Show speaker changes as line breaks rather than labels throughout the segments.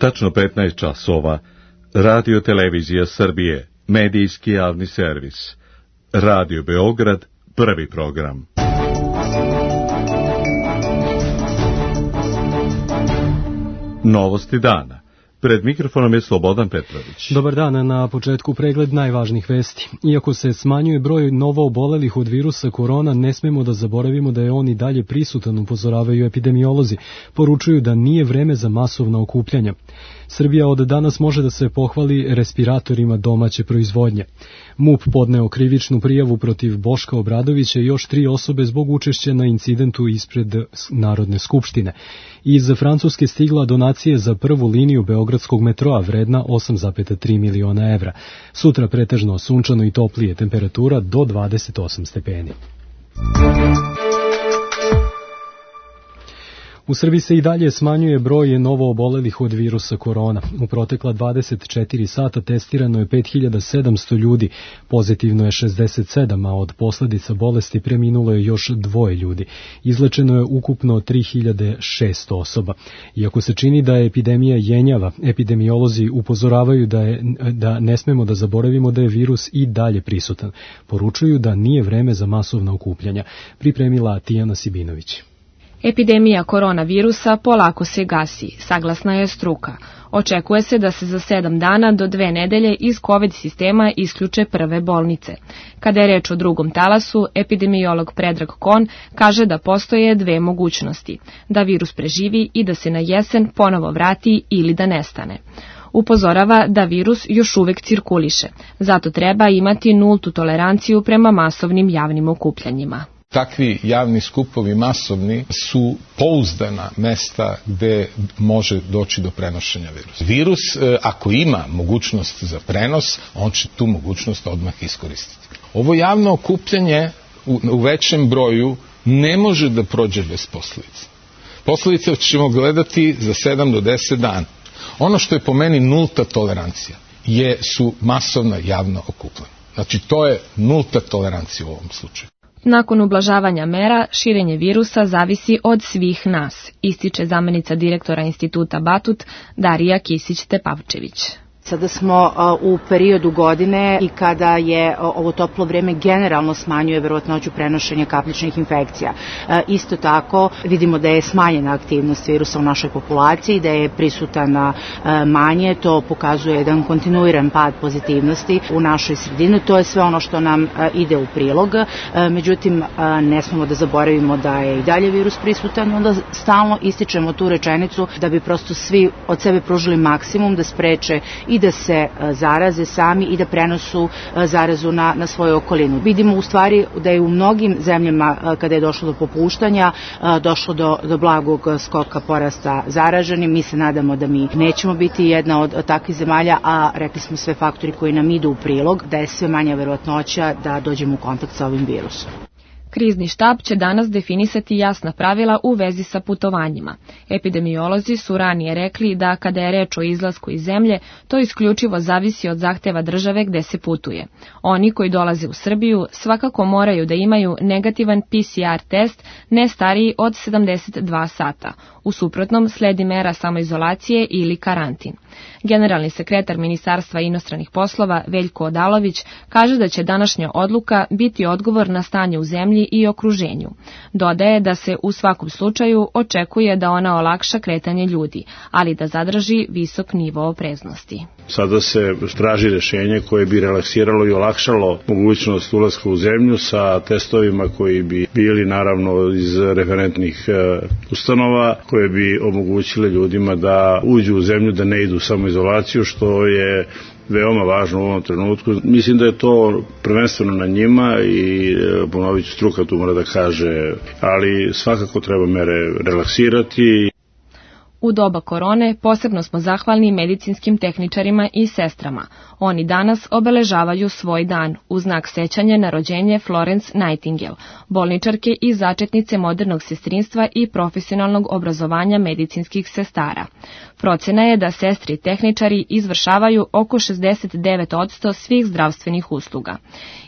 tačno 15 časova, Radio Televizija Srbije, medijski javni servis. Radio Beograd, prvi program. Novosti dana. Pred mikrofonom je Slobodan Petrović.
Dobar dan, na početku pregled najvažnijih vesti. Iako se smanjuje broj novoobolelih od virusa korona, ne smemo da zaboravimo da je on i dalje prisutan, upozoravaju epidemiolozi. Poručuju da nije vreme za masovna okupljanja. Srbija od danas može da se pohvali respiratorima domaće proizvodnje. MUP podneo krivičnu prijavu protiv Boška Obradovića i još 3 osobe zbog učešća na incidentu ispred Narodne skupštine. Iz Francuske stigla donacije za prvu liniju beogradskog metroa vredna 8,3 miliona evra. Sutra pretežno sunčano i toplije, temperatura do 28 stepeni. U Srbiji se i dalje smanjuje broj novoobolelih od virusa korona. U protekla 24 sata testirano je 5700 ljudi, pozitivno je 67, a od posledica bolesti preminulo je još 2 ljudi. Izlečeno je ukupno 3600 osoba. Iako se čini da je epidemija jenjava, epidemiolozi upozoravaju da ne smemo da zaboravimo da je virus i dalje prisutan. Poručuju da nije vreme za masovna okupljanja. Pripremila Tijana Sibinović.
Epidemija koronavirusa polako se gasi, saglasna je struka. Očekuje se da se za 7 dana do 2 nedelje iz COVID sistema isključe prve bolnice. Kada je reč o drugom talasu, epidemiolog Predrag Kon kaže da postoje 2 mogućnosti, da virus preživi i da se na jesen ponovo vrati ili da nestane. Upozorava da virus još uvek cirkuliše, zato treba imati nultu toleranciju prema masovnim javnim okupljanjima.
Takvi javni skupovi masovni su pouzdana mesta gde može doći do prenošenja virusa. Virus, ako ima mogućnost za prenos, on će tu mogućnost odmah iskoristiti. Ovo javno okupljanje u većem broju ne može da prođe bez posledica. Posledice ćemo gledati za 7 do 10 dana. Ono što je po meni nulta tolerancija su masovna javna okupljanja. Znači, to je nulta tolerancija u ovom slučaju.
Nakon ublažavanja mera, širenje virusa zavisi od svih nas, ističe zamenica direktora instituta Batut Darija Kisić-Tepavčević.
Sada smo u periodu godine i kada je ovo toplo vreme generalno smanjuje verovatnoću prenošenja kapljičnih infekcija. Isto tako vidimo da je smanjena aktivnost virusa u našoj populaciji, da je prisutana manje, to pokazuje jedan kontinuiran pad pozitivnosti u našoj sredini. To je sve ono što nam ide u prilog. Međutim, ne smemo da zaboravimo da je i dalje virus prisutan, onda stalno ističemo tu rečenicu da bi prosto svi od sebe pružili maksimum da spreče i da se zaraze sami i da prenosu zarazu na svoju okolinu. Vidimo u stvari da je u mnogim zemljama kada je došlo do popuštanja, došlo do blagog skoka porasta zaraženih. Mi se nadamo da mi nećemo biti jedna od takvih zemalja, a rekli smo sve faktori koji nam idu u prilog, da je sve manja verovatnoća da dođemo u kontakt sa ovim virusom.
Krizni štab će danas definisati jasna pravila u vezi sa putovanjima. Epidemiolozi su ranije rekli da kada je reč o izlasku iz zemlje, to isključivo zavisi od zahteva države gde se putuje. Oni koji dolaze u Srbiju svakako moraju da imaju negativan PCR test ne stariji od 72 sata. U suprotnom sledi mera samoizolacije ili karantin. Generalni sekretar Ministarstva inostranih poslova Veljko Odalović kaže da će današnja odluka biti odgovor na stanje u zemlji i okruženju. Dodaje da se u svakom slučaju očekuje da ona olakša kretanje ljudi, ali da zadrži visok nivo opreznosti.
Sada se traži rešenje koje bi relaksiralo i olakšalo mogućnost ulaska u zemlju sa testovima koji bi bili naravno iz referentnih ustanova, koje bi omogućile ljudima da uđu u zemlju, da ne idu u samoizolaciju, što je veoma važno u ovom trenutku. Mislim da je to prvenstveno na njima i ponovit ću, struka tu mora da kaže, ali svakako treba mere relaksirati.
U doba korone posebno smo zahvalni medicinskim tehničarima i sestrama. Oni danas obeležavaju svoj dan u znak sećanja na rođenje Florence Nightingale, bolničarke i začetnice modernog sestrinstva i profesionalnog obrazovanja medicinskih sestara. Procena je da sestre i tehničari izvršavaju oko 69% svih zdravstvenih usluga.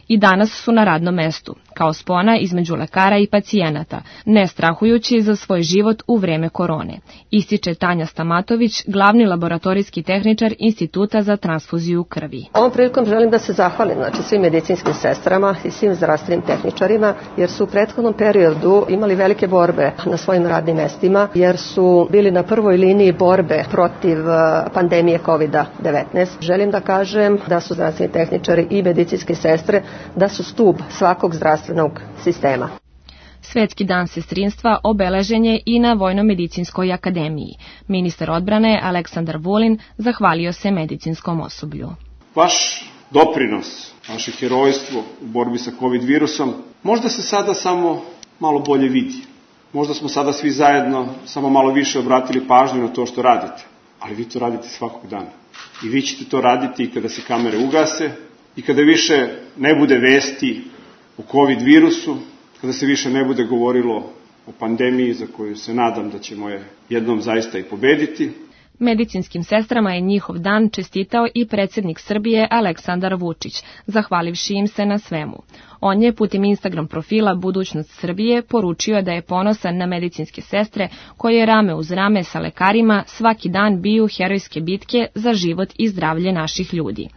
I danas su na radnom mestu, kao spona između lekara i pacijenata, ne strahujući za svoj život u vreme korone, ističe Tanja Stamatović, glavni laboratorijski tehničar Instituta za transfuziju krvi.
Ovom prilikom želim da se zahvalim svim medicinskim sestrama i svim zdravstvenim tehničarima, jer su u prethodnom periodu imali velike borbe na svojim radnim mestima, jer su bili na prvoj liniji borbe protiv pandemije COVID-19. Želim da kažem da su zdravstveni tehničari i medicinske sestre da su stub svakog zdravstvenog sistema.
Svetski dan sestrinstva obeležen je i na Vojno-medicinskoj akademiji. Ministar odbrane Aleksandar Vulin zahvalio se medicinskom osoblju.
Vaš doprinos, vaše herojstvo u borbi sa COVID virusom možda se sada samo malo bolje vidi. Možda smo sada svi zajedno samo malo više obratili pažnju na to što radite. Ali vi to radite svakog dana. I vi ćete to raditi i kada se kamere ugase, i kada više ne bude vesti o COVID virusu, kada se više ne bude govorilo o pandemiji za koju se nadam da ćemo je jednom zaista i pobediti.
Medicinskim sestrama je njihov dan čestitao i predsjednik Srbije Aleksandar Vučić, zahvalivši im se na svemu. On je putem Instagram profila Budućnost Srbije poručio da je ponosan na medicinske sestre koje rame uz rame sa lekarima svaki dan biju herojske bitke za život i zdravlje naših ljudi.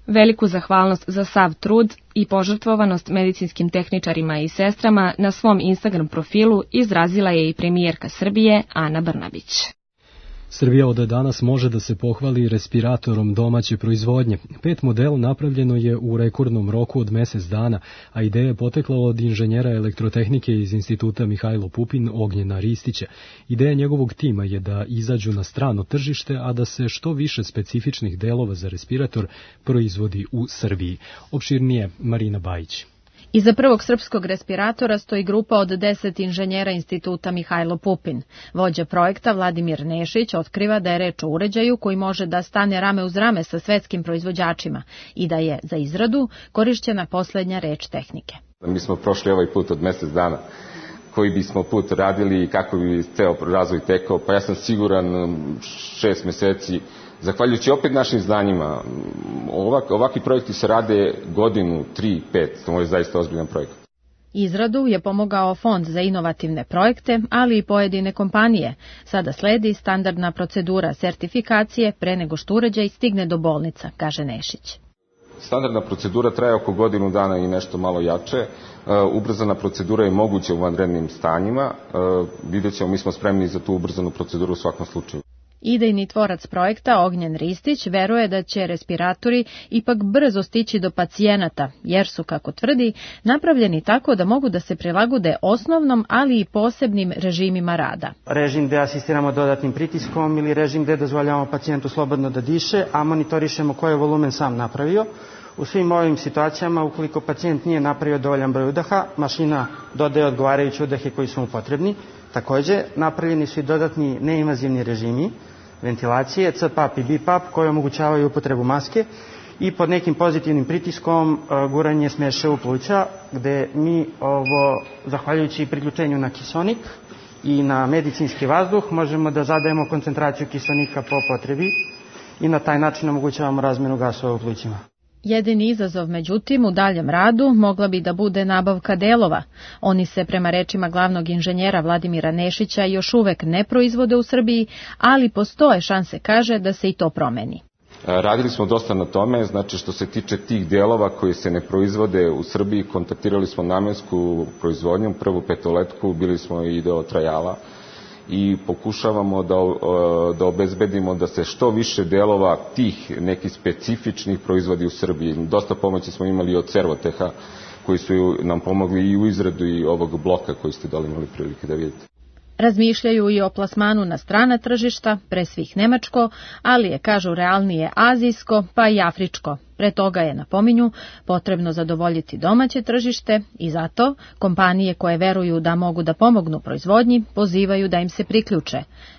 Veliku zahvalnost za sav trud i požrtvovanost medicinskim tehničarima i sestrama na svom Instagram profilu izrazila je i premijerka Srbije Ana Brnabić.
Srbija od danas može da se pohvali respiratorom domaće proizvodnje. 5 modela napravljeno je u rekordnom roku od mjesec dana, a ideja je potekla od inženjera elektrotehnike iz Instituta Mihajlo Pupin Ognjena Ristića. Ideja njegovog tima je da izađu na strano tržište, a da se što više specifičnih delova za respirator proizvodi u Srbiji. Opširnije Marina Bajić.
Iza prvog srpskog respiratora stoji grupa od 10 inženjera Instituta Mihajlo Pupin. Vođa projekta Vladimir Nešić otkriva da je reč o uređaju koji može da stane rame uz rame sa svetskim proizvođačima i da je za izradu korišćena poslednja reč tehnike.
Mi smo prošli ovaj put od mjesec dana. Koji bismo put radili i kako bi ceo razvoj tekao, pa ja sam siguran 6 meseci. Zahvaljujući opet našim znanjima, ovakvi projekti se rade godinu, 3, 5, to je zaista ozbiljan projekt.
Izradu je pomogao Fond za inovativne projekte, ali i pojedine kompanije. Sada sledi standardna procedura sertifikacije pre nego što uređaj stigne do bolnica, kaže Nešić.
Standardna procedura traje oko godinu dana i nešto malo jače. Ubrzana procedura je moguća u vanrednim stanjima. Vidjet ćemo, mi smo spremni za tu ubrzanu proceduru u svakom slučaju.
Idejni tvorac projekta Ognjen Ristić veruje da će respiratori ipak brzo stići do pacijenata, jer su, kako tvrdi, napravljeni tako da mogu da se prilagode osnovnom, ali i posebnim režimima rada.
Režim gde asistiramo dodatnim pritiskom ili režim gde dozvoljavamo pacijentu slobodno da diše, a monitorišemo koji je volumen sam napravio. U svim ovim situacijama, ukoliko pacijent nije napravio dovoljan broj udaha, mašina dodaje odgovarajuće udahe koji su mu potrebni. Takođe, napravljeni su i dodatni neinvazivni režimi ventilacije, CPAP i BiPAP, koji omogućavaju upotrebu maske i pod nekim pozitivnim pritiskom guranje smeše u pluća, gde mi zahvaljujući priključenju na kiseonik i na medicinski vazduh, možemo da zadajemo koncentraciju kiseonika po potrebi i na taj način omogućavamo razmenu gasova u plućima.
Jedini izazov, međutim, u daljem radu mogla bi da bude nabavka delova. Oni se, prema rečima glavnog inženjera Vladimira Nešića, još uvek ne proizvode u Srbiji, ali postoje šanse, kaže, da se i to promeni.
Radili smo dosta na tome, znači što se tiče tih delova koji se ne proizvode u Srbiji, kontaktirali smo namensku proizvodnju, prvu petoletku, bili smo i do Trajala i pokušavamo da obezbedimo da se što više delova tih nekih specifičnih proizvodi u Srbiji. Dosta pomoći smo imali od Servoteha koji su nam pomogli i u izradu i ovog bloka koji ste dali imali prilike da vidite.
Razmišljaju i o plasmanu na strana tržišta, pre svih nemačko, ali je, kažu, realnije azijsko, pa i afričko. Pre toga je, napominju, potrebno zadovoljiti domaće tržište i zato kompanije koje veruju da mogu da pomognu proizvodnji pozivaju da im se priključe.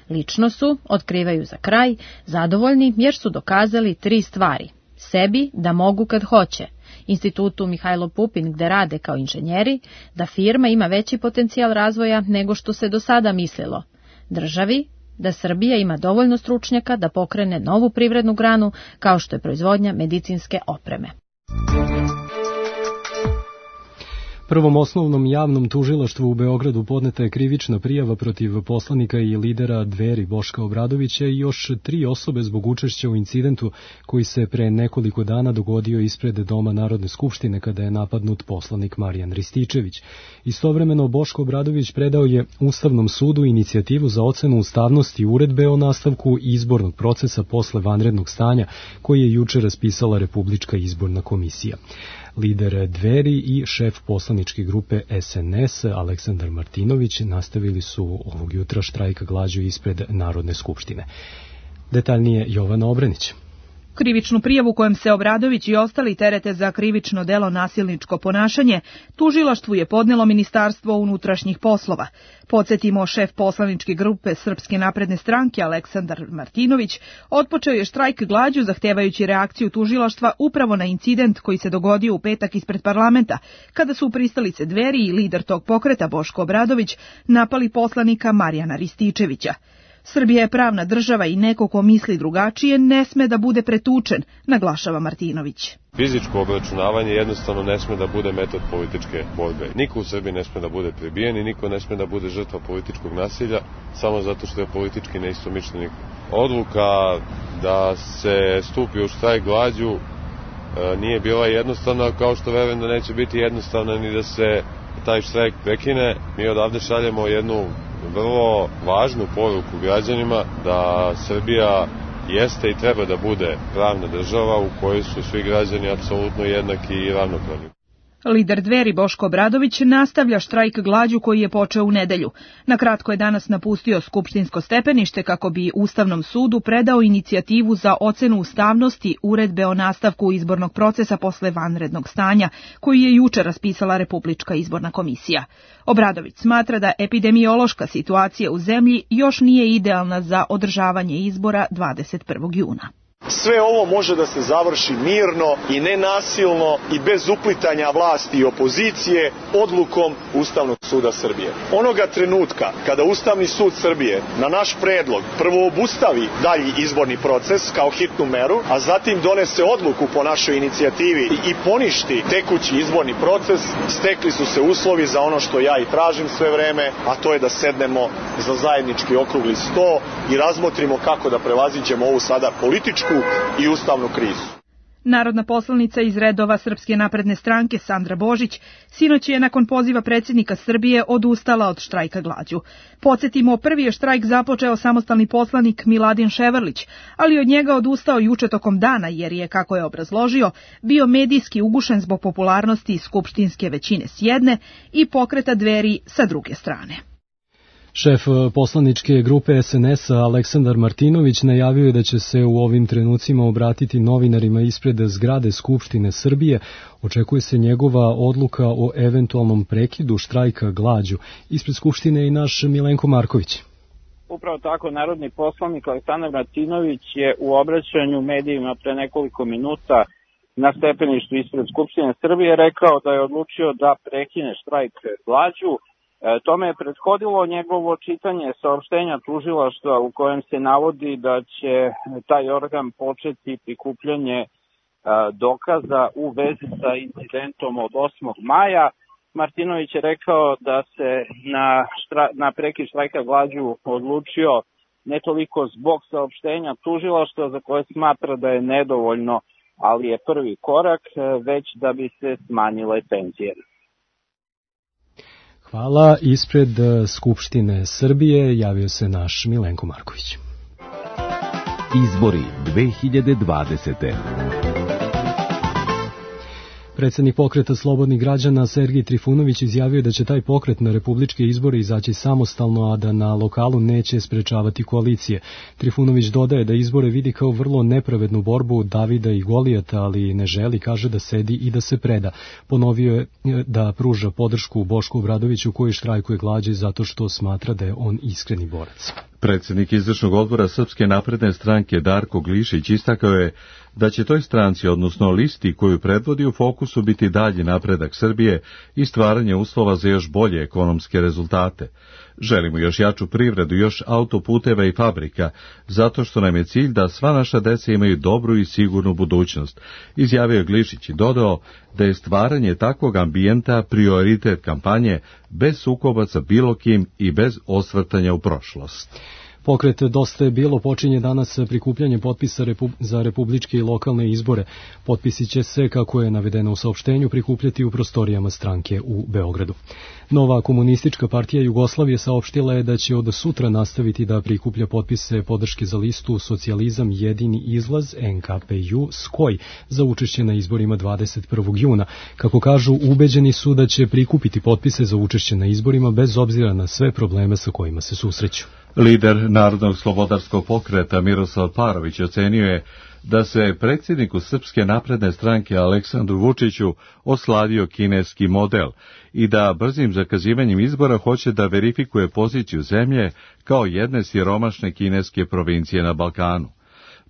Lično su, otkrivaju za kraj, zadovoljni jer su dokazali 3 stvari. Sebi da mogu kad hoće, Institutu Mihajlo Pupin gde rade kao inženjeri, da firma ima veći potencijal razvoja nego što se do sada mislilo, državi, da Srbija ima dovoljno stručnjaka da pokrene novu privrednu granu kao što je proizvodnja medicinske opreme.
Prvom osnovnom javnom tužilaštvu u Beogradu podneta je krivična prijava protiv poslanika i lidera Dveri Boška Obradovića i još 3 osobe zbog učešća u incidentu koji se pre nekoliko dana dogodio ispred Doma Narodne skupštine kada je napadnut poslanik Marijan Rističević. Istovremeno Boško Obradović predao je Ustavnom sudu inicijativu za ocenu ustavnosti uredbe o nastavku izbornog procesa posle vanrednog stanja koji je juče raspisala Republička izborna komisija. Lider Dveri i šef poslaničke grupe SNS Aleksandar Martinović nastavili su ovog jutra štrajk glađu ispred Narodne skupštine. Detaljnije Jovana Obrenić.
Krivičnu prijavu kojom se Obradović i ostali terete za krivično delo nasilničko ponašanje tužilaštvu je podnelo Ministarstvo unutrašnjih poslova. Podsjetimo, šef poslaničke grupe Srpske napredne stranke Aleksandar Martinović otpočeo je štrajk glađu zahtevajući reakciju tužilaštva upravo na incident koji se dogodio u petak ispred parlamenta, kada su u pristalice Dveri i lider tog pokreta Boško Obradović napali poslanika Marijana Rističevića. Srbija je pravna država i neko ko misli drugačije ne sme da bude pretučen, naglašava Martinović.
Fizičko obračunavanje jednostavno ne sme da bude metod političke borbe. Niko u Srbiji ne sme da bude prebijen i niko ne sme da bude žrtva političkog nasilja samo zato što je politički neistomišljenik. Odluka da se stupi u štrajk glađu nije bila jednostavna, kao što verujem da neće biti jednostavna ni da se taj štrajk prekine. Mi odavde šaljemo jednu vrlo važnu poruku građanima da Srbija jeste i treba da bude pravna država u kojoj su svi građani apsolutno jednaki i ravnopravni.
Lider Dveri Boško Obradović nastavlja štrajk glađu koji je počeo u nedelju. Nakratko je danas napustio skupštinsko stepenište kako bi Ustavnom sudu predao inicijativu za ocenu ustavnosti uredbe o nastavku izbornog procesa posle vanrednog stanja, koji je juče raspisala Republička izborna komisija. Obradović smatra da epidemiološka situacija u zemlji još nije idealna za održavanje izbora 21. juna.
Sve ovo može da se završi mirno i nenasilno i bez uplitanja vlasti i opozicije odlukom Ustavnog suda Srbije. Onoga trenutka kada Ustavni sud Srbije na naš predlog prvo obustavi dalji izborni proces kao hitnu meru, a zatim donese odluku po našoj inicijativi i poništi tekući izborni proces, stekli su se uslovi za ono što ja i tražim sve vreme, a to je da sednemo za zajednički okrugli sto i razmotrimo kako da prevaziđemo ovu sada političku i ustavnu krizu.
Narodna poslanica iz redova Srpske napredne stranke Sandra Božić sinoć je nakon poziva predsjednika Srbije odustala od štrajka glađu. Podsjetimo, prvi je štrajk započeo samostalni poslanik Miladin Ševarlić, ali od njega odustao juče tokom dana jer je, kako je obrazložio, bio medijski ugušen zbog popularnosti skupštinske većine s jedne i pokreta Dveri sa druge strane.
Šef poslaničke grupe SNS Aleksandar Martinović najavio je da će se u ovim trenucima obratiti novinarima ispred zgrade Skupštine Srbije. Očekuje se njegova odluka o eventualnom prekidu štrajka glađu. Ispred Skupštine i naš Milenko Marković.
Upravo tako, narodni poslanik Aleksandar Martinović je u obraćanju medijima pre nekoliko minuta na stepeništu ispred Skupštine Srbije rekao da je odlučio da prekine štrajk glađu. Tome je prethodilo njegovo čitanje saopštenja tužilaštva u kojem se navodi da će taj organ početi prikupljanje dokaza u vezi sa incidentom od 8. maja. Martinović je rekao da se na prekid štrajka glađu odlučio ne toliko zbog saopštenja tužilaštva za koje smatra da je nedovoljno, ali je prvi korak, već da bi se smanjile tenzije.
Hvala. Ispred Skupštine Srbije javio se naš Milenko Marković.
Izbori 2020.
Predsjednik pokreta Slobodnih građana Sergij Trifunović izjavio da će taj pokret na republičke izbore izaći samostalno, a da na lokalu neće sprečavati koalicije. Trifunović dodaje da izbore vidi kao vrlo nepravednu borbu Davida i Golijata, ali ne želi, kaže, da sedi i da se preda. Ponovio je da pruža podršku Bošku Obradoviću koji štrajkuje glađu zato što smatra da je on iskreni borac.
Predsjednik izvršnog odbora Srpske napredne stranke Darko Glišić istakao je da će toj stranci, odnosno listi koju predvodi, u fokusu biti dalji napredak Srbije i stvaranje uslova za još bolje ekonomske rezultate. Želimo još jaču privredu, još autoputeva i fabrika, zato što nam je cilj da sva naša deca imaju dobru i sigurnu budućnost, izjavio je Glišić i dodao da je stvaranje takvog ambijenta prioritet kampanje bez sukoba sa bilo kim i bez osvrtanja u prošlost.
Pokret Dosta je bilo počinje danas prikupljanje potpisa za republičke i lokalne izbore. Potpisi će se, kako je navedeno u saopštenju, prikupljati u prostorijama stranke u Beogradu. Nova komunistička partija Jugoslavije saopštila je da će od sutra nastaviti da prikuplja potpise podrške za listu Socijalizam jedini izlaz NKPU SKOJ za učešće na izborima 21. juna. Kako kažu, ubeđeni su da će prikupiti potpise za učešće na izborima bez obzira na sve probleme sa kojima se susreću.
Lider Narodnog slobodarskog pokreta Miroslav Parović ocenio je da se predsjedniku Srpske napredne stranke Aleksandru Vučiću osladio kineski model i da brzim zakazivanjem izbora hoće da verifikuje poziciju zemlje kao jedne siromašne kineske provincije na Balkanu.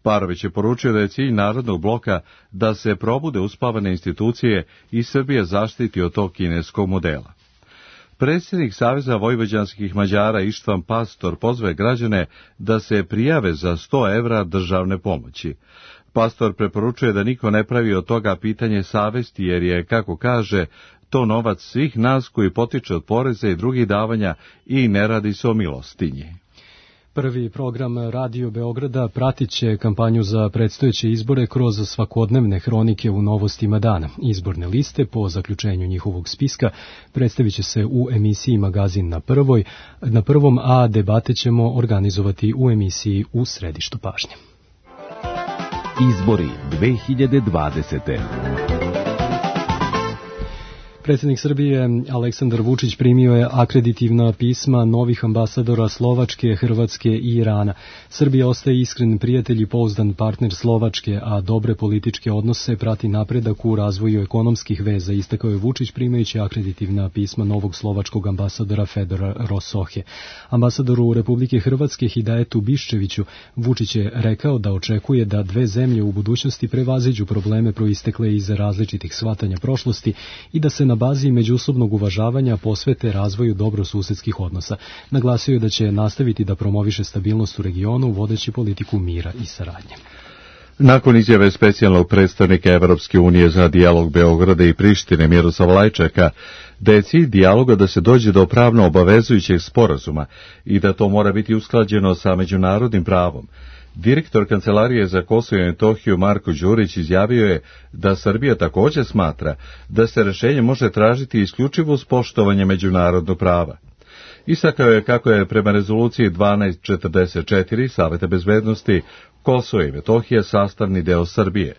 Parović je poručio da je cilj Narodnog bloka da se probude uspavane institucije i Srbija zaštiti od tog kineskog modela. Predsjednik Saveza vojvođanskih Mađara Ištvan Pastor pozve građane da se prijave za 100 evra državne pomoći. Pastor preporučuje da niko ne pravi od toga pitanje savesti, jer je, kako kaže, to novac svih nas koji potiče od poreza i drugih davanja i ne radi se o milostinji.
Prvi program Radio Beograda pratit će kampanju za predstojeće izbore kroz svakodnevne hronike u novostima dana. Izborne liste po zaključenju njihovog spiska predstavit će se u emisiji Magazin na prvom, a debate ćemo organizovati u emisiji U središtu pažnje.
Izbori 2020.
Predsjednik Srbije Aleksandar Vučić primio je akreditivna pisma novih ambasadora Slovačke, Hrvatske i Irana. Srbija ostaje iskren prijatelj i pouzdan partner Slovačke, a dobre političke odnose prati napredak u razvoju ekonomskih veza, istakao je Vučić primajući akreditivna pisma novog slovačkog ambasadora Fedora Rosohe. Ambasadoru Republike Hrvatske Hidajetu Biščeviću Vučić je rekao da očekuje da dve zemlje u budućnosti prevaziđu probleme proistekle iz različitih shvatanja prošlosti i da se na bazi međusobnog uvažavanja posvete razvoju dobrosusedskih odnosa. Naglasio je da će nastaviti da promoviše stabilnost u regionu, vodeći politiku mira i saradnje.
Nakon izjave specijalnog predstavnika Evropske unije za dijalog Beograda i Prištine Miroslava Lajčaka, da je cilj dijaloga da se dođe do pravno obavezujućeg sporazuma i da to mora biti usklađeno sa međunarodnim pravom, direktor Kancelarije za Kosovo i Metohiju Marko Đurić izjavio je da Srbija također smatra da se rješenje može tražiti isključivo uz poštovanje međunarodnog prava. Istakao je kako je prema rezoluciji 1244 Saveta bezbednosti Kosovo i Metohija sastavni deo Srbije.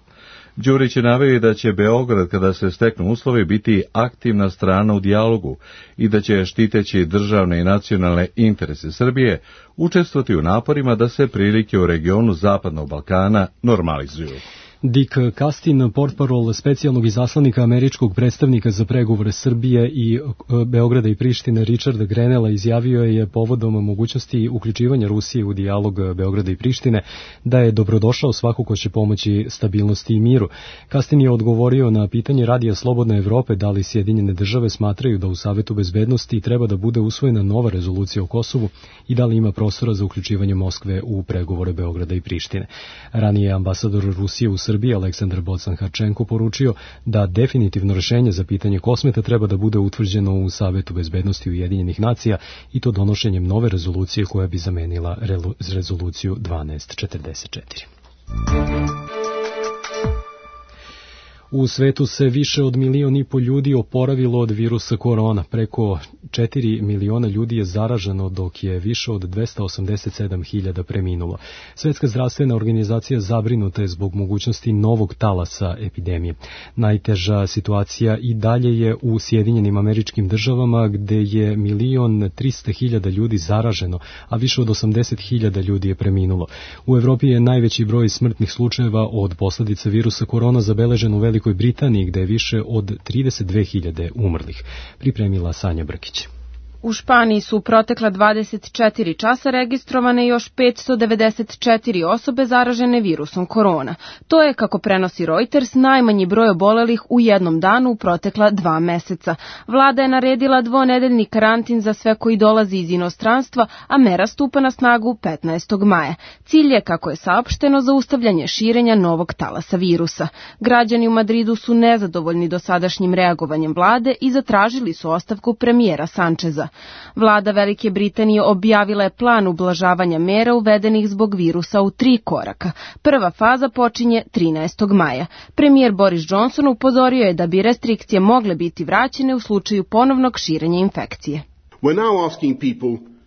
Đurić je naveo da će Beograd, kada se steknu uslovi, biti aktivna strana u dijalogu i da će, štiteći državne i nacionalne interese Srbije, učestvovati u naporima da se prilike u regionu Zapadnog Balkana normalizuju.
Dick Castin, portparol specijalnog izaslanika američkog predstavnika za pregovore Srbije i Beograda i Prištine Richarda Grenella izjavio je povodom mogućnosti uključivanja Rusije u dijalog Beograda i Prištine da je dobrodošao svako ko će pomoći stabilnosti i miru. Castin je odgovorio na pitanje Radija Slobodne Evrope da li Sjedinjene države smatraju da u Savetu bezbednosti treba da bude usvojena nova rezolucija o Kosovu i da li ima prostora za uključivanje Moskve u pregovore Beograda i Prištine. Ranije ambasador Rusije u Srbiji Aleksandar Bocan-Harčenko poručio da definitivno rješenje za pitanje Kosmeta treba da bude utvrđeno u Savetu bezbednosti Ujedinjenih nacija i to donošenjem nove rezolucije koja bi zamenila rezoluciju 1244. U svetu se više od 1,5 miliona ljudi oporavilo od virusa korona. Preko 4 miliona ljudi je zaraženo, dok je više od 287.000 preminulo. Svjetska zdravstvena organizacija zabrinuta je zbog mogućnosti novog talasa epidemije. Najteža situacija i dalje je u Sjedinjenim Američkim Državama, gde je 1.300.000 ljudi zaraženo, a više od 80.000 ljudi je preminulo. U Evropi je najveći broj smrtnih slučajeva od posljedica virusa korona zabeležen u Velikoj Britaniji, gde je više od 32.000 umrlih. Pripremila Sanja Brkić.
U Španiji su u protekla 24 časa registrovane još 594 osobe zaražene virusom korona. To je, kako prenosi Reuters, najmanji broj obolelih u jednom danu u protekla 2 meseca. Vlada je naredila dvonedeljni karantin za sve koji dolazi iz inostranstva, a mera stupa na snagu 15. maja. Cilj je, kako je saopšteno, zaustavljanje širenja novog talasa virusa. Građani u Madridu su nezadovoljni dosadašnjim reagovanjem vlade i zatražili su ostavku premijera Sančeza. Vlada Velike Britanije objavila je plan ublažavanja mera uvedenih zbog virusa u 3 koraka. Prva faza počinje 13. maja. Premijer Boris Johnson upozorio je da bi restrikcije mogle biti vraćene u slučaju ponovnog širenja infekcije.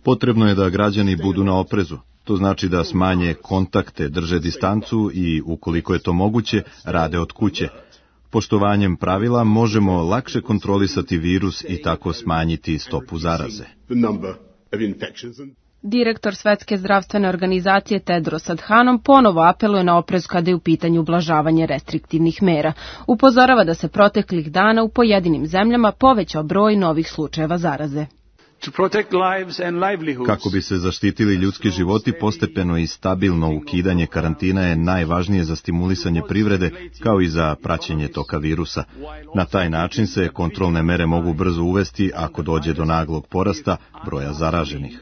Potrebno je da građani budu na oprezu. To znači da smanje kontakte, drže distancu i, ukoliko je to moguće, rade od kuće. Poštovanjem pravila možemo lakše kontrolisati virus i tako smanjiti stopu zaraze.
Direktor Svetske zdravstvene organizacije Tedros Adhanom ponovo apeluje na oprez kada je u pitanju ublažavanje restriktivnih mera. Upozorava da se proteklih dana u pojedinim zemljama povećao broj novih slučajeva zaraze.
Kako bi se zaštitili ljudski životi, postepeno i stabilno ukidanje karantina je najvažnije za stimulisanje privrede, kao i za praćenje toka virusa. Na taj način se kontrolne mere mogu brzo uvesti ako dođe do naglog porasta broja zaraženih.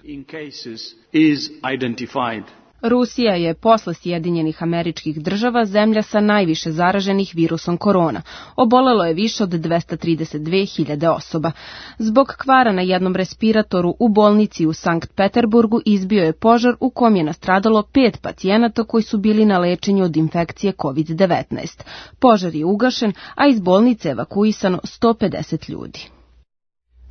Rusija je posle Sjedinjenih Američkih Država zemlja sa najviše zaraženih virusom korona. Obolelo je više od 232.000 osoba. Zbog kvara na jednom respiratoru u bolnici u Sankt Peterburgu izbio je požar u kom je nastradalo 5 pacijenata koji su bili na lečenju od infekcije COVID-19. Požar je ugašen, a iz bolnice evakuisano 150 ljudi.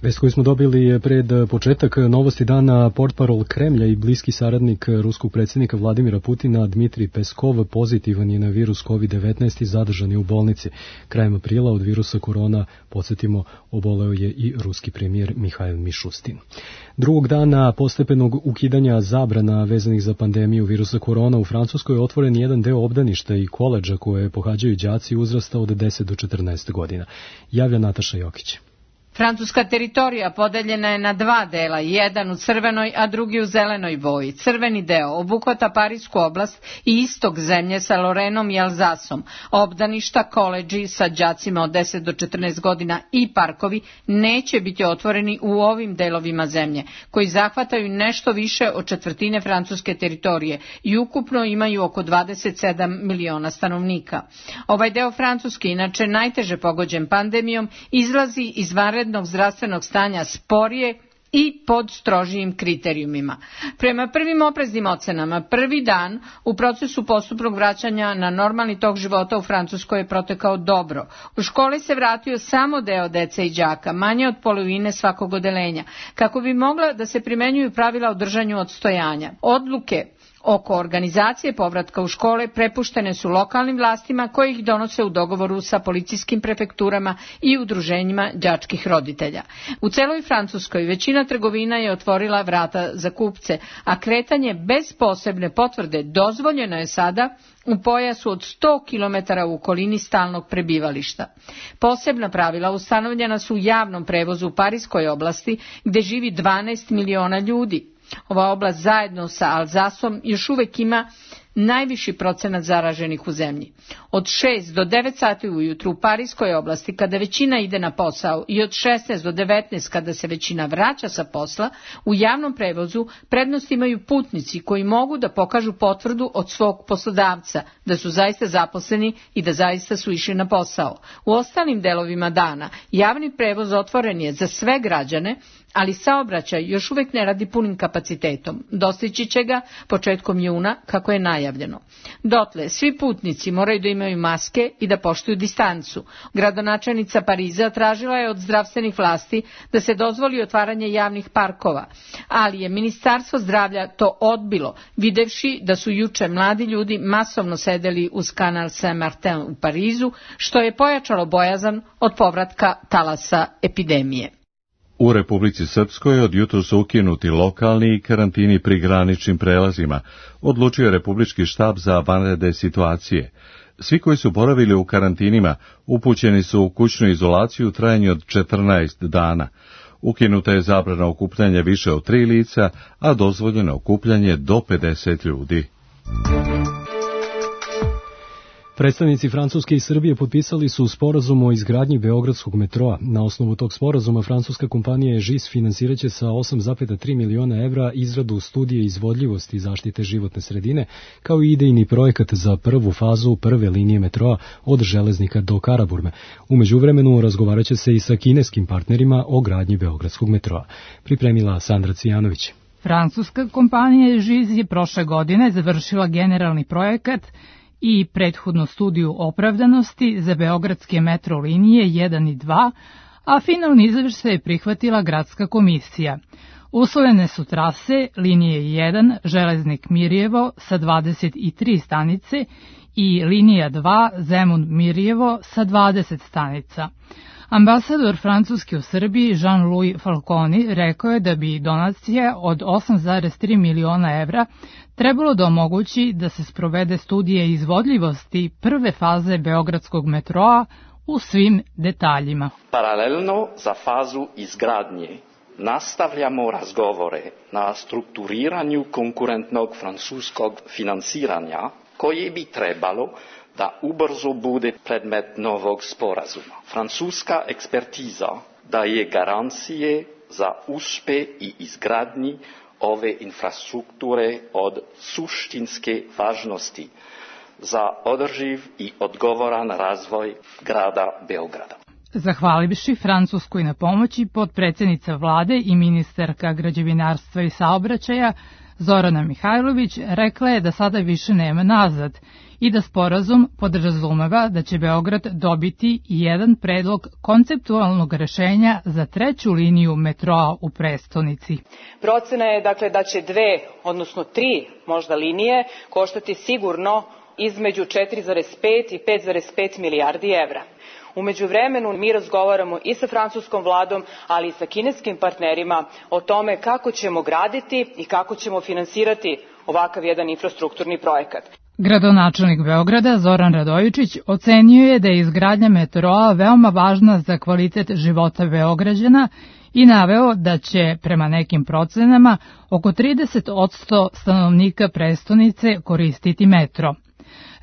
Vest koju smo dobili pred početak novosti dana, portparol Kremlja i bliski saradnik ruskog predsjednika Vladimira Putina Dmitrij Peskov pozitivan je na virus COVID-19 i zadržan je u bolnici. Krajem aprila od virusa korona, podsjetimo, oboleo je i ruski premijer Mihajl Mišustin. Drugog dana postepenog ukidanja zabrana vezanih za pandemiju virusa korona u Francuskoj je otvoren jedan deo obdaništa i koledža koje pohađaju đaci uzrasta od 10 do 14 godina. Javlja Nataša Jokić.
Francuska teritorija podeljena je na 2 dela, jedan u crvenoj, a drugi u zelenoj boji. Crveni deo obuhvata Parisku oblast i istok zemlje sa Lorenom i Alzasom. Obdaništa, koledži sa đacima od 10 do 14 godina i parkovi neće biti otvoreni u ovim delovima zemlje, koji zahvataju nešto više od četvrtine francuske teritorije i ukupno imaju oko 27 miliona stanovnika. Ovaj deo Francuske, inače najteže pogođen pandemijom, izlazi iz vanrednog zdravstvenog stanja sporije i pod strožijim kriterijumima. Prema prvim opreznim ocenama, prvi dan u procesu postupnog vraćanja na normalni tok života u Francuskoj je protekao dobro. U školi se vratio samo deo dece i đaka, manje od polovine svakog odeljenja, kako bi mogla da se primenjuju pravila o držanju odstojanja. Odluke oko organizacije povratka u škole prepuštene su lokalnim vlastima koji ih donose u dogovoru sa policijskim prefekturama i udruženjima đačkih roditelja. U celoj Francuskoj većina trgovina je otvorila vrata za kupce, a kretanje bez posebne potvrde dozvoljeno je sada u pojasu od 100 km u okolini stalnog prebivališta. Posebna pravila ustanovljena su u javnom prevozu u Pariskoj oblasti gdje živi 12 miliona ljudi. Ova oblast zajedno sa Alzasom još uvijek ima najviši procenat zaraženih u zemlji. Od 6 do 9 sati ujutru u Pariskoj oblasti, kada većina ide na posao, i od 16 do 19 kada se većina vraća sa posla, u javnom prevozu prednost imaju putnici koji mogu da pokažu potvrdu od svog poslodavca da su zaista zaposleni i da zaista su išli na posao. U ostalim delovima dana javni prevoz otvoren je za sve građane, ali saobraćaj još uvijek ne radi punim kapacitetom. Dostići će ga početkom juna, kako je najavljeno. Dotle, svi putnici moraju da imaju maske i da poštuju distancu. Gradonačelnica Pariza tražila je od zdravstvenih vlasti da se dozvoli otvaranje javnih parkova, ali je Ministarstvo zdravlja to odbilo, videvši da su juče mladi ljudi masovno sedeli uz kanal Saint-Martin u Parizu, što je pojačalo bojazan od povratka talasa epidemije.
U Republici Srpskoj od jutros su ukinuti lokalni karantini pri graničnim prelazima, odlučio je Republički štab za vanredne situacije. Svi koji su boravili u karantinima upućeni su u kućnu izolaciju u trajanju od 14 dana. Ukinuta je zabrana okupljanja više od 3 lica, a dozvoljeno okupljanje do 50 ljudi.
Predstavnici Francuske i Srbije potpisali su sporazum o izgradnji Beogradskog metroa. Na osnovu tog sporazuma francuska kompanija EGIS finansiraće sa 8,3 miliona evra izradu studije izvodljivosti i zaštite životne sredine, kao i idejni projekat za prvu fazu prve linije metroa od Železnika do Karaburme. U međuvremenu razgovaraće se i sa kineskim partnerima o gradnji Beogradskog metroa. Pripremila Sandra Cijanović.
Francuska kompanija EGIS je prošle godine završila generalni projekat i prethodnu studiju opravdanosti za beogradske metro linije 1 i 2, a finalni izveštaj je prihvatila gradska komisija. Usvojene su trase linije 1 Železnik Mirjevo sa 23 stanice i linija 2 Zemun Mirjevo sa 20 stanica. Ambasador Francuske u Srbiji Jean-Louis Falconi rekao je da bi donacija od 8,3 miliona evra trebalo da omogući da se sprovede studije izvodljivosti prve faze Beogradskog metroa u svim detaljima.
Paralelno za fazu izgradnje nastavljamo razgovore na strukturiranju konkurentnog francuskog finansiranja koje bi trebalo da ubrzo bude predmet novog sporazuma. Francuska ekspertiza daje garancije za uspeh i izgradnji ove infrastrukture od suštinske važnosti za održiv i odgovoran razvoj grada Beograda.
Zahvalivši Francuskoj na pomoći, potpredsjednica vlade i ministarka građevinarstva i saobraćaja Zorana Mihajlović rekla je da sada više nema nazad i da sporazum podrazumeva da će Beograd dobiti jedan predlog konceptualnog rešenja za 3. liniju metroa u prestonici.
Procena je dakle da će 2, odnosno 3 možda linije koštati sigurno između 4,5 i 5,5 milijardi evra. U međuvremenu mi razgovaramo i sa francuskom vladom, ali i sa kineskim partnerima o tome kako ćemo graditi i kako ćemo finansirati ovakav jedan infrastrukturni projekat.
Gradonačelnik Beograda Zoran Radojičić ocenio je da je izgradnja metroa veoma važna za kvalitet života Beograđana i naveo da će, prema nekim procenama, oko 30% stanovnika prestonice koristiti metro.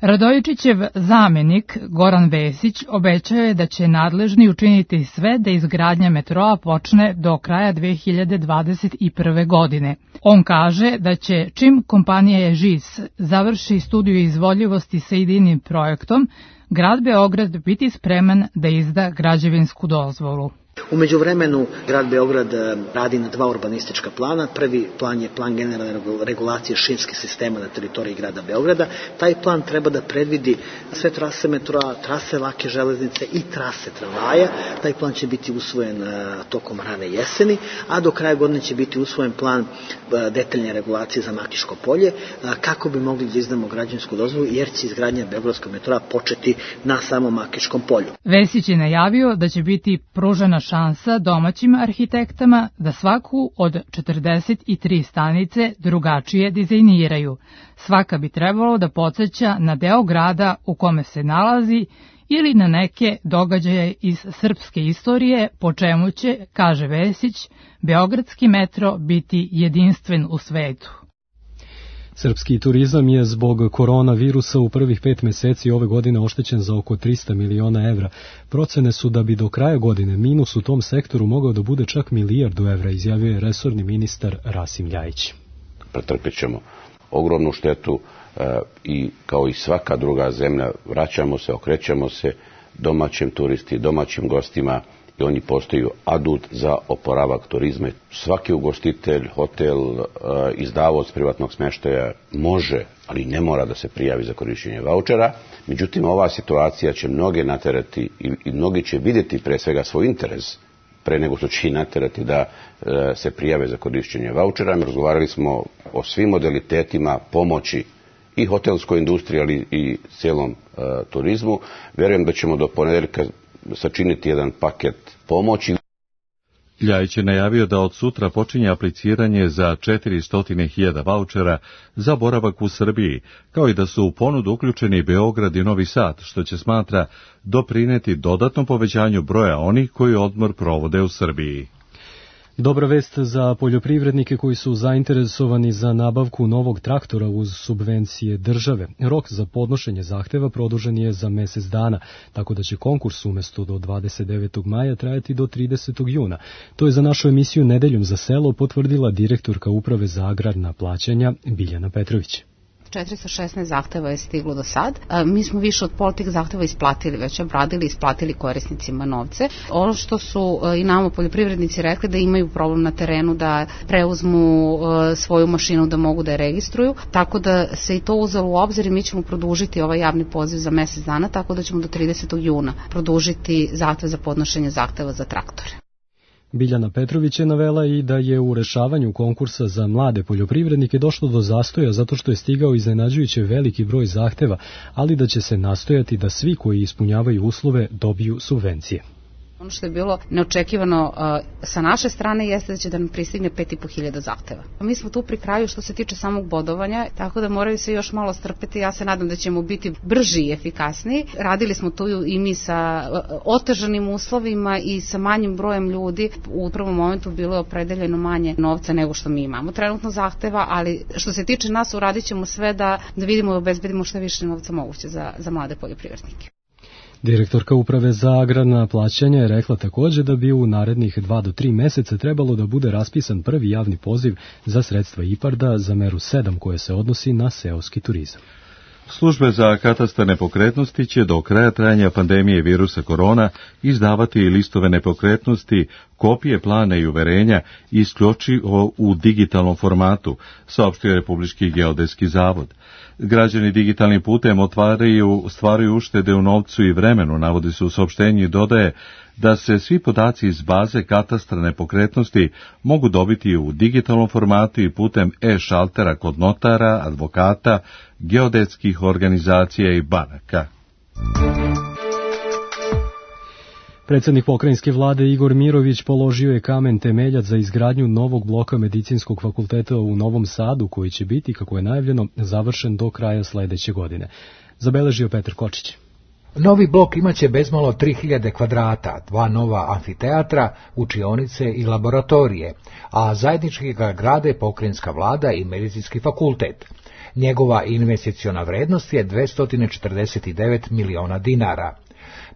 Radojičićev zamenik Goran Vesić obećao je da će nadležni učiniti sve da izgradnja metroa počne do kraja 2021. godine. On kaže da će, čim kompanija EGIS završi studiju izvodljivosti sa idejnim projektom, grad Beograd biti spreman da izda građevinsku dozvolu.
U međuvremenu grad Beograd radi na 2 urbanistička plana. Prvi plan je plan generalne regulacije šinskih sistema na teritoriji grada Beograda. Taj plan treba da predvidi sve trase metroa, trase lake železnice i trase tramvaja. Taj plan će biti usvojen tokom rane jeseni, a do kraja godine će biti usvojen plan detaljne regulacije za Makiško polje, kako bi mogli da izdamo građevinsku dozvolu, jer će izgradnja Beogradskog metroa početi na samom Makiškom polju.
Vesić je najavio da će biti pružena šansa domaćim arhitektama da svaku od 43 stanice drugačije dizajniraju. Svaka bi trebalo da podsjeća na deo grada u kome se nalazi ili na neke događaje iz srpske istorije, po čemu će, kaže Vesić, beogradski metro biti jedinstven u svetu.
Srpski turizam je zbog koronavirusa u prvih 5 meseci ove godine oštećen za oko 300 miliona evra. Procene su da bi do kraja godine minus u tom sektoru mogao da bude čak milijardu evra, izjavio je resorni ministar Rasim Ljajić.
Pretrpit ćemo ogromnu štetu i kao i svaka druga zemlja vraćamo se, okrećemo se domaćim turisti, domaćim gostima i oni postaju adut za oporavak turizma. Svaki ugostitelj, hotel, izdavaoc privatnog smještaja može, ali ne mora da se prijavi za korišćenje vaučera. Međutim, ova situacija će mnoge naterati i mnogi će vidjeti pre svega svoj interes pre nego što će i naterati da se prijave za korišćenje vaučera. Razgovarali smo o svim modalitetima pomoći i hotelskoj industriji, ali i cijelom turizmu. Vjerujem da ćemo do ponedeljka sačiniti jedan paket pomoći.
Ljajić je najavio da od sutra počinje apliciranje za 400.000 vaučera za boravak u Srbiji, kao i da su u ponudu uključeni Beograd i Novi Sad, što će, smatra, doprineti dodatnom povećanju broja onih koji odmor provode u Srbiji.
Dobra vest za poljoprivrednike koji su zainteresovani za nabavku novog traktora uz subvencije države. Rok za podnošenje zahteva produžen je za mesec dana, tako da će konkurs umesto do 29. maja trajati do 30. juna. To je za našu emisiju Nedeljom za selo potvrdila direktorka Uprave za agrarna plaćanja Biljana Petrović.
416 zahteva je stiglo do sad. Mi smo više od pola tih zahteva isplatili, već obradili i isplatili korisnicima novce. Ono što su i nama poljoprivrednici rekli da imaju problem na terenu da preuzmu svoju mašinu da mogu da je registruju, tako da se i to uzelo u obzir i mi ćemo produžiti ovaj javni poziv za mesec dana, tako da ćemo do 30. juna produžiti zahtev za podnošenje zahteva za traktore.
Biljana Petrović je navela i da je u rešavanju konkursa za mlade poljoprivrednike došlo do zastoja zato što je stigao iznenađujuće veliki broj zahteva, ali da će se nastojati da svi koji ispunjavaju uslove dobiju subvencije.
Ono što je bilo neočekivano sa naše strane jeste da će da nam pristigne 5.500 zahteva. Mi smo tu pri kraju što se tiče samog bodovanja, tako da moraju se još malo strpeti. Ja se nadam da ćemo biti brži i efikasniji. Radili smo tu i mi sa otežanim uslovima i sa manjim brojem ljudi. U prvom momentu bilo je opredeljeno manje novca nego što mi imamo trenutno zahteva, ali što se tiče nas uradit ćemo sve da vidimo i obezbedimo što više novca moguće za mlade poljoprivrednike.
Direktorka Uprave za agrarna plaćanja je rekla također da bi u narednih 2 do 3 meseca trebalo da bude raspisan prvi javni poziv za sredstva IPARD-a za meru 7 koje se odnosi na seoski turizam.
Službe za katastar nepokretnosti će do kraja trajanja pandemije virusa korona izdavati listove nepokretnosti, kopije plana i uverenja isključivo u digitalnom formatu, saopštio je Republički geodetski zavod. Građani digitalnim putem stvaraju uštede u novcu i vremenu, navodi se u saopštenju i dodaje da se svi podaci iz baze katastra nepokretnosti mogu dobiti u digitalnom formatu i putem e-šaltera kod notara, advokata, geodetskih organizacija i banaka.
Predsjednik pokrajinske vlade Igor Mirović položio je kamen temeljac za izgradnju novog bloka Medicinskog fakulteta u Novom Sadu, koji će biti, kako je najavljeno, završen do kraja sledeće godine. Zabeležio Petar Kočić.
Novi blok imaće bezmalo 3000 kvadrata, 2 nova amfiteatra, učionice i laboratorije, a zajednički ga grade pokrajinska vlada i medicinski fakultet. Njegova investiciona vrednost je 249 miliona dinara.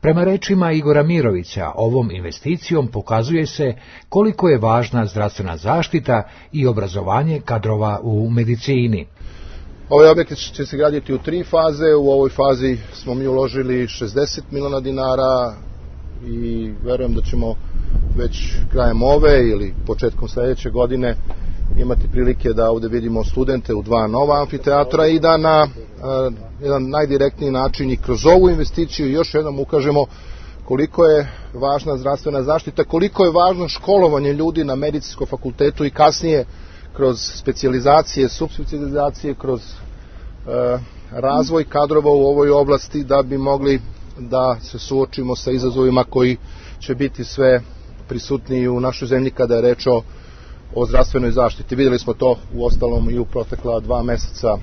Prema rečima Igora Mirovića, ovom investicijom pokazuje se koliko je važna zdravstvena zaštita i obrazovanje kadrova u medicini.
Ovaj objekat će se graditi u 3 faze. U ovoj fazi smo mi uložili 60 miliona dinara i verujem da ćemo već krajem ove ili početkom sledeće godine imati prilike da ovde vidimo studente u 2 nova amfiteatra i da na jedan najdirektniji način i kroz ovu investiciju još jednom ukažemo koliko je važna zdravstvena zaštita, koliko je važno školovanje ljudi na medicinskom fakultetu i kasnije kroz specijalizacije, subspecijalizacije, kroz razvoj kadrova u ovoj oblasti da bi mogli da se suočimo sa izazovima koji će biti sve prisutniji u našoj zemlji kada je reč o zdravstvenoj zaštiti. Vidjeli smo to u ostalom i u protekla 2 meseca.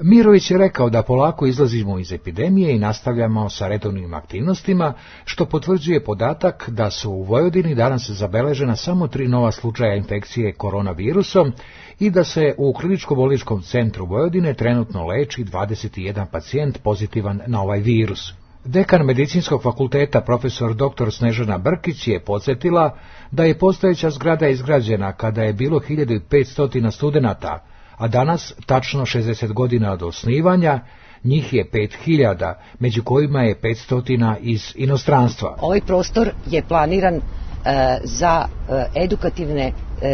Mirović je rekao da polako izlazimo iz epidemije i nastavljamo sa redovnim aktivnostima, što potvrđuje podatak da su u Vojvodini danas zabeležena samo 3 nova slučaja infekcije koronavirusom i da se u Kliničko-bolničkom centru Vojvodine trenutno leči 21 pacijent pozitivan na ovaj virus. Dekan Medicinskog fakulteta profesor dr. Snežana Brkić je podsjetila da je postojeća zgrada izgrađena kada je bilo 1500 studenata, a danas, tačno 60 godina od osnivanja, njih je 5000, među kojima je 500 iz inostranstva.
Ovaj prostor je planiran za edukativne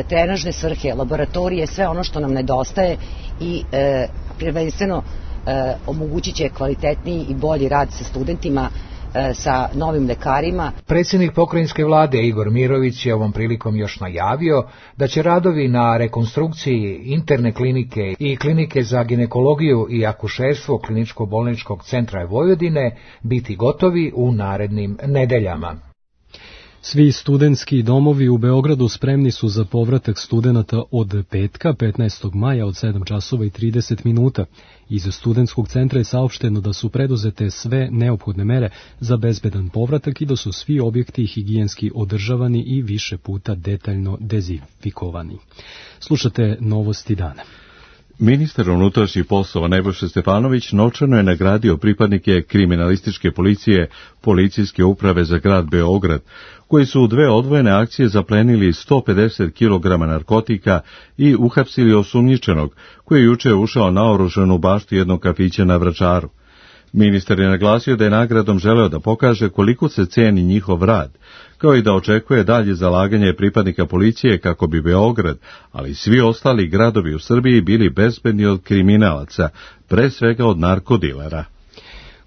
trenažne svrhe, laboratorije, sve ono što nam nedostaje i prvenstveno omogućit će kvalitetniji i bolji rad sa studentima, sa novim lekarima.
Predsjednik pokrajinske vlade Igor Mirović je ovom prilikom još najavio da će radovi na rekonstrukciji interne klinike i klinike za ginekologiju i akušerstvo Kliničko-bolničkog centra Vojvodine biti gotovi u narednim nedeljama.
Svi studentski domovi u Beogradu spremni su za povratak studenata od petka, 15. maja od 7 časova i 30 minuta. Iz studentskog centra je saopšteno da su preduzete sve neophodne mere za bezbedan povratak i da su svi objekti higijenski održavani i više puta detaljno dezinfikovani. Slušate novosti dana.
Ministar unutrašnjih poslova Nebojša Stefanović novčano je nagradio pripadnike kriminalističke policije Policijske uprave za grad Beograd, koji su u 2 odvojene akcije zaplenili 150 kg narkotika i uhapsili osumnjičenog, koji je juče ušao naoružan u baštu jednog kafića na Vračaru. Ministar je naglasio da je nagradom želeo da pokaže koliko se ceni njihov rad, kao i da očekuje dalje zalaganje pripadnika policije kako bi Beograd, ali i svi ostali gradovi u Srbiji bili bezbedni od kriminalaca, pre svega od narkodilera.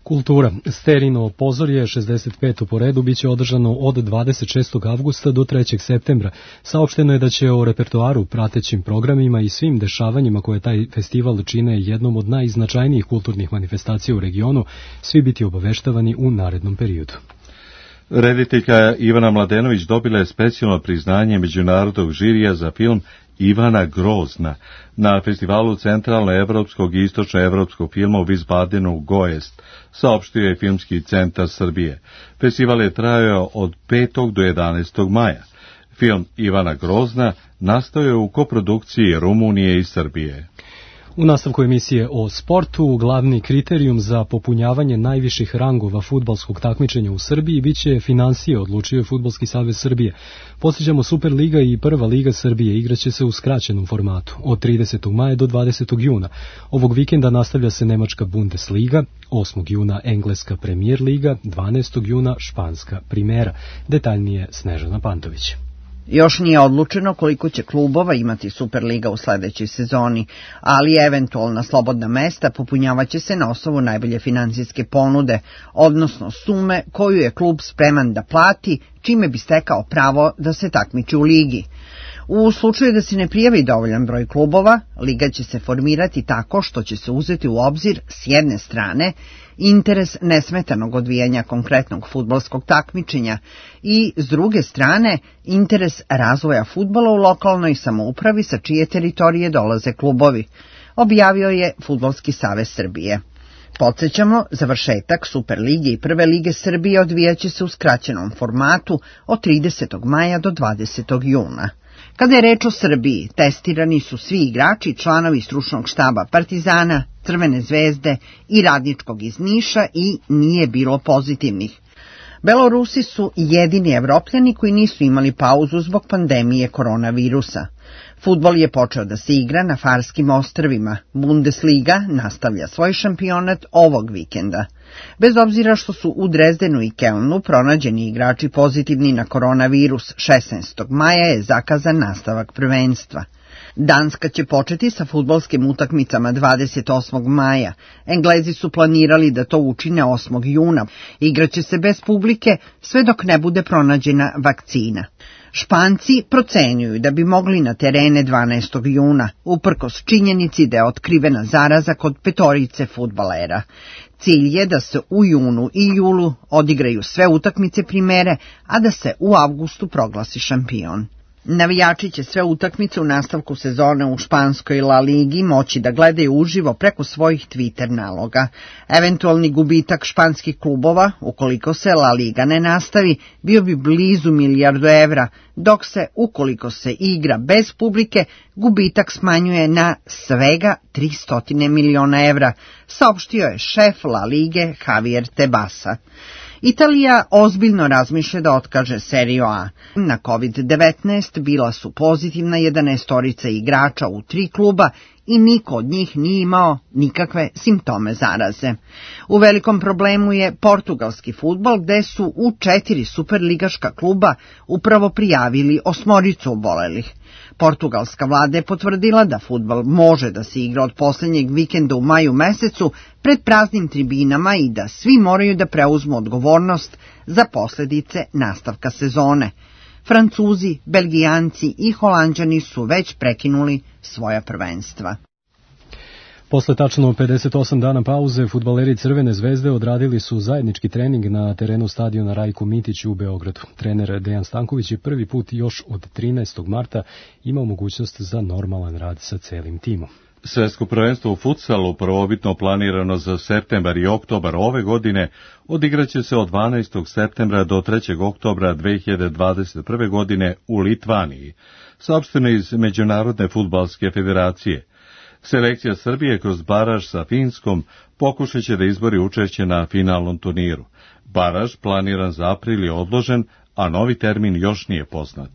Kultura. Sterino pozorje 65. po redu biće održano od 26. avgusta do 3. septembra. Saopšteno je da će o repertoaru, pratećim programima i svim dešavanjima koje taj festival čine jednom od najznačajnijih kulturnih manifestacija u regionu svi biti obaveštavani u narednom periodu.
Rediteljka Ivana Mladenović dobila je specijalno priznanje međunarodnog žirija za film Ivana Grozna na festivalu centralno-evropskog i istočno-evropskog filma u Wiesbadenu Goest, saopštio je Filmski centar Srbije. Festival je trajao od 5. do 11. maja. Film Ivana Grozna nastao je u koprodukciji Rumunije i Srbije.
U nastavku emisije o sportu, glavni kriterijum za popunjavanje najviših rangova fudbalskog takmičenja u Srbiji biće finansije, odlučio je Fudbalski savez Srbije. Podsjećamo, Superliga i Prva liga Srbije igraće se u skraćenom formatu od 30. maja do 20. juna. Ovog vikenda nastavlja se Nemačka Bundesliga, 8. juna Engleska Premier liga, 12. juna Španska Primera. Detaljnije Snežana Pantović.
Još nije odlučeno koliko će klubova imati Superliga u sledećoj sezoni, ali eventualna slobodna mesta popunjavaće se na osnovu najbolje finansijske ponude, odnosno sume koju je klub spreman da plati, čime bi stekao pravo da se takmiči u ligi. U slučaju da se ne prijavi dovoljan broj klubova, liga će se formirati tako što će se uzeti u obzir s jedne strane interes nesmetanog odvijanja konkretnog fudbalskog takmičenja i s druge strane interes razvoja fudbala u lokalnoj samoupravi sa čije teritorije dolaze klubovi, objavio je Fudbalski savez Srbije. Podsjećamo, završetak Superlige i Prve lige Srbije odvijaće se u skraćenom formatu od 30. maja do 20. juna. Kada je reč o Srbiji, testirani su svi igrači i članovi stručnog štaba Partizana, Crvene zvezde i Radničkog iz Niša i nije bilo pozitivnih. Belorusi su jedini Evropljani koji nisu imali pauzu zbog pandemije koronavirusa. Fudbal je počeo da se igra na Farskim ostrvima. Bundesliga nastavlja svoj šampionat ovog vikenda. Bez obzira što su u Drezdenu i Kelnu pronađeni igrači pozitivni na koronavirus, 16. maja je zakazan nastavak prvenstva. Danska će početi sa fudbalskim utakmicama 28. maja. Englezi su planirali da to učine 8. juna. Igraće se bez publike sve dok ne bude pronađena vakcina. Španci procenjuju da bi mogli na terene 12. juna, uprkos činjenici da je otkrivena zaraza kod 5 fudbalera. Cilj je da se u junu i julu odigraju sve utakmice primere, a da se u avgustu proglasi šampion. Navijači će sve utakmice u nastavku sezone u španskoj La Ligi moći da gledaju uživo preko svojih Twitter naloga. Eventualni gubitak španskih klubova, ukoliko se La Liga ne nastavi, bio bi blizu 1 milijardu evra, dok se, ukoliko se igra bez publike, gubitak smanjuje na svega 300 miliona evra, saopštio je šef La Lige Javier Tebasa. Italija ozbiljno razmišlja da otkaže Seriju A. Na COVID-19 bila su pozitivna 11 igrača u 3 kluba i niko od njih nije imao nikakve simptome zaraze. U velikom problemu je portugalski fudbal, gde su u 4 superligaška kluba upravo prijavili 8 obolelih. Portugalska vlada je potvrdila da fudbal može da se igra od posljednjeg vikenda u maju mesecu pred praznim tribinama i da svi moraju da preuzmu odgovornost za posljedice nastavka sezone. Francuzi, Belgijanci i Holanđani su već prekinuli svoja prvenstva.
Posle tačno 58 dana pauze, fudbaleri Crvene zvezde odradili su zajednički trening na terenu stadiona Rajko Mitić u Beogradu. Trener Dejan Stanković je prvi put još od 13. marta imao mogućnost za normalan rad sa celim timom.
Svetsko prvenstvo u futsalu, prvobitno planirano za septembar i oktobar ove godine, odigraće se od 12. septembra do 3. oktobra 2021. godine u Litvaniji, saopšteno iz Međunarodne fudbalske federacije. Selekcija Srbije kroz baraž sa Finskom pokušat će da izbori učešće na finalnom turniru. Baraž planiran za april je odložen, a novi termin još nije poznat.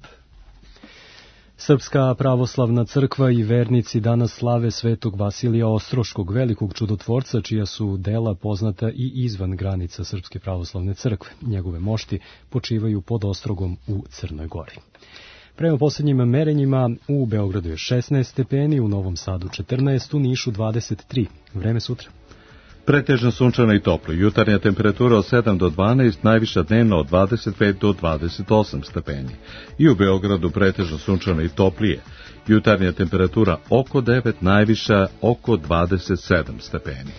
Srpska pravoslavna crkva i vernici danas slave Svetog Vasilija Ostroškog, velikog čudotvorca, čija su dela poznata i izvan granica Srpske pravoslavne crkve. Njegove mošti počivaju pod Ostrogom u Crnoj Gori. Prema posljednjim merenjima u Beogradu je 16 stepeni, u Novom Sadu 14, u Nišu 23. Vreme sutra.
Pretežno sunčano i toplo. Jutarnja temperatura od 7 do 12, najviša dnevno od 25 do 28 stepeni. I u Beogradu pretežno sunčano i toplije. Jutarnja temperatura oko 9, najviša oko 27 stepeni.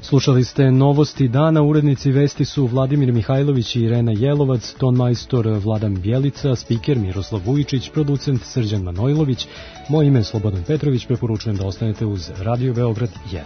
Slušali ste novosti dana, urednici vesti su Vladimir Mihajlović i Irena Jelovac, tonmajstor Vladan Bjelica, spiker Miroslav Vujičić, producent Srđan Manojlović. Moje ime je Slobodan Petrović, preporučujem da ostanete uz Radio Beograd 1.